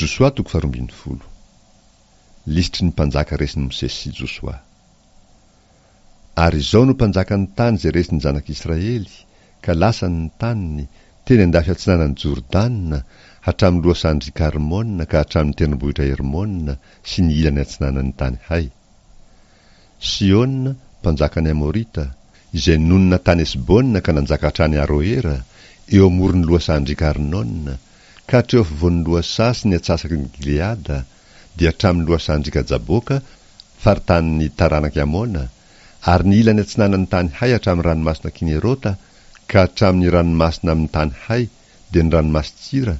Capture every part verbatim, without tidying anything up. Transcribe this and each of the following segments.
Josoa toko faharoa ambin'ny folo. Lisitry ny mpanjaka resin'i Mosesy sy Josoa. Ary izao no mpanjakan'ny tany izay resin'ny zanak'Israely, ka lasany ny taniny, teny an-dafy atsinanan'i Jordana, hatramin'ny lohasahan-dry Karmona ka hatramin'ny tendrombohitra Hermona sy ny ilany atsinanan'ny tany Hay. Sihona, mpanjakan'ny Amorita, izay nonina tany Hesbona ka nanjaka hatrany Aroera, eo amoron'ny lohasahan-driaka Arnona, ka hatreo afovoan'ny lohasaha sy ny antsasaky ny Gileada, dia hatramin'ny lohasahan-driaka Jaboka, faritanin'ny taranak'i Amona, ary ny ilany atsinanan'ny tany Hay hatramin'ny ranomasina Kinerota, ka hatramin'ny ranomasina amin'ny tany Hay, dia ny ranomasin-tsira,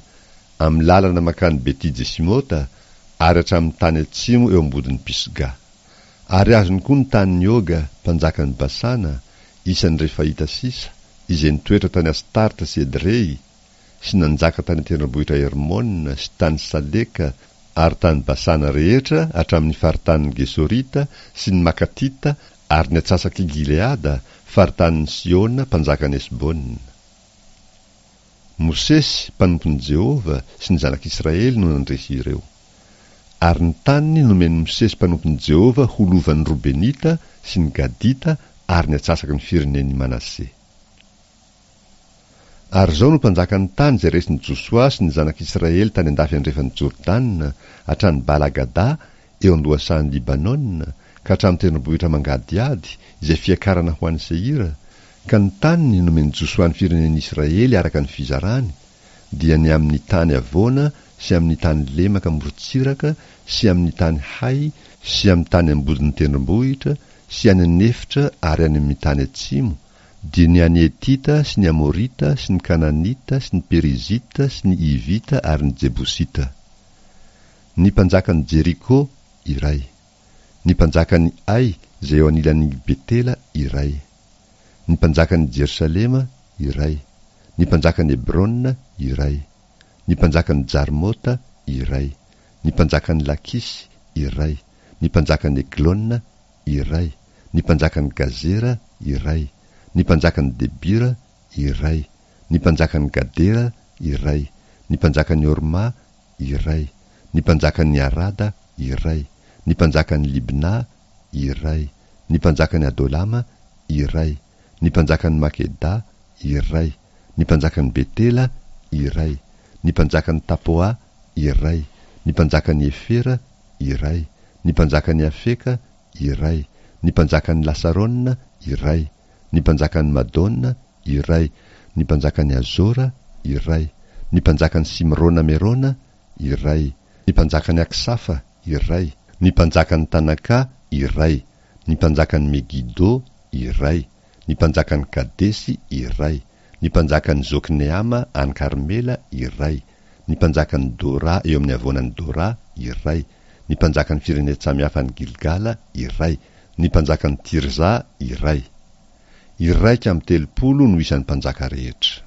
amin'ny lalana mankany Beti-Jesimota, ary hatramin'ny tany atsimo eo ambodin'i Pisga. Ary azony koa ny tanin'i Oga, mpanjakan'i Basana, isan'ny Refaita sisa, izay nitoetra tany Astarta sy Edrey, sy nanjaka tany an-tendrombohitra Hermona sy tany Saleka ary tany Basana rehetra hatramin'ny faritanin'ny Gesorita sy ny Makatita ary ny antsasak'i Gileada, faritanin'i Sihona mpanjakan'i Hesbona. Mosesy, mpanompon'i Jehovah, sy ny zanak'Israely no nandresy ireo. Ary ny taniny nomen'i Mosesy mpanompon'i Jehovah ho lovan'ny Robenita sy ny Gadita ary ny antsasaky ny firenen'i Manase. Ary izao no mpanjakan'ny tany izay resin'i Josoa sy ny zanak'Israely tany an-dafy andrefan'i Jordana, hatrany Bala-gada, eo an-dohasahan'i Libanona, ka hatramin'ny tendrombohitra mangadihady, izay fiakarana ho any Seira, ka ny taniny nomen'i Josoa ny firenen'Israely araka ny fizarany, dia ny amin'ny tany havoana sy amin'ny tany lemaka morontsiraka sy amin'ny tany hay sy amin'ny tany ambodin'ny tendrombohitra sy any an'efitra ary any amin'ny tany atsimo, dia ny an'ny Hetita sy ny Amorita sy ny Kananita sy ny Perizita sy ny Hivita ary ny Jebosita. Ny mpanjakan'i Jeriko, iray. Ny mpanjakan'i Ay izay eo anilan'i Betela, iray. Ny mpanjakan'i Jerosalema, iray. Ny mpanjakan'i Hebrona, iray. Ny mpanjakan'i Jarmota, iray. Ny mpanjakan'i Lakisy, iray. Ny mpanjakan'i Eglona, iray. Ny mpanjakan'i Gazera, iray. Ny mpanjakan'i Debira, iray. Ny mpanjakan'i Gadera, iray. Ny mpanjakan'i Horma, iray. Ny mpanjakan'i Arada, iray. Ny mpanjakan'i Libna, iray. Ny mpanjakan'i Adolama, iray. Ny mpanjakan'i Makeda, iray. Ny mpanjakan'i Betela, iray. Ny mpanjakan'i Tapoa, iray. Ny mpanjakan'i Hefera, iray. Ny mpanjakan'i Afeka, iray. Ny mpanjakan'i Lasarona, iray. Ny mpanjakan'i Madona, iray. Ny mpanjakan'i Azora, iray. Ny mpanjakan'i Simrona Merona, iray. Ny mpanjakan'i Aksafa, iray. Ny mpanjakan'i Tanaka, iray. Ny mpanjakan'i Megido, iray. Ny mpanjakan'i Kadesy, iray. Ny mpanjakan'i Zokneama any Karmela, iray. Ny mpanjakan'i Dora eo amin'ny havoanan'i Dora, iray. Ny mpanjakan'ny firenen-tsamihafa any Gilgala, iray. Ny mpanjakan'i Tirza, iray. Iraika amby telopolo no isan'ny mpanjaka rehetra.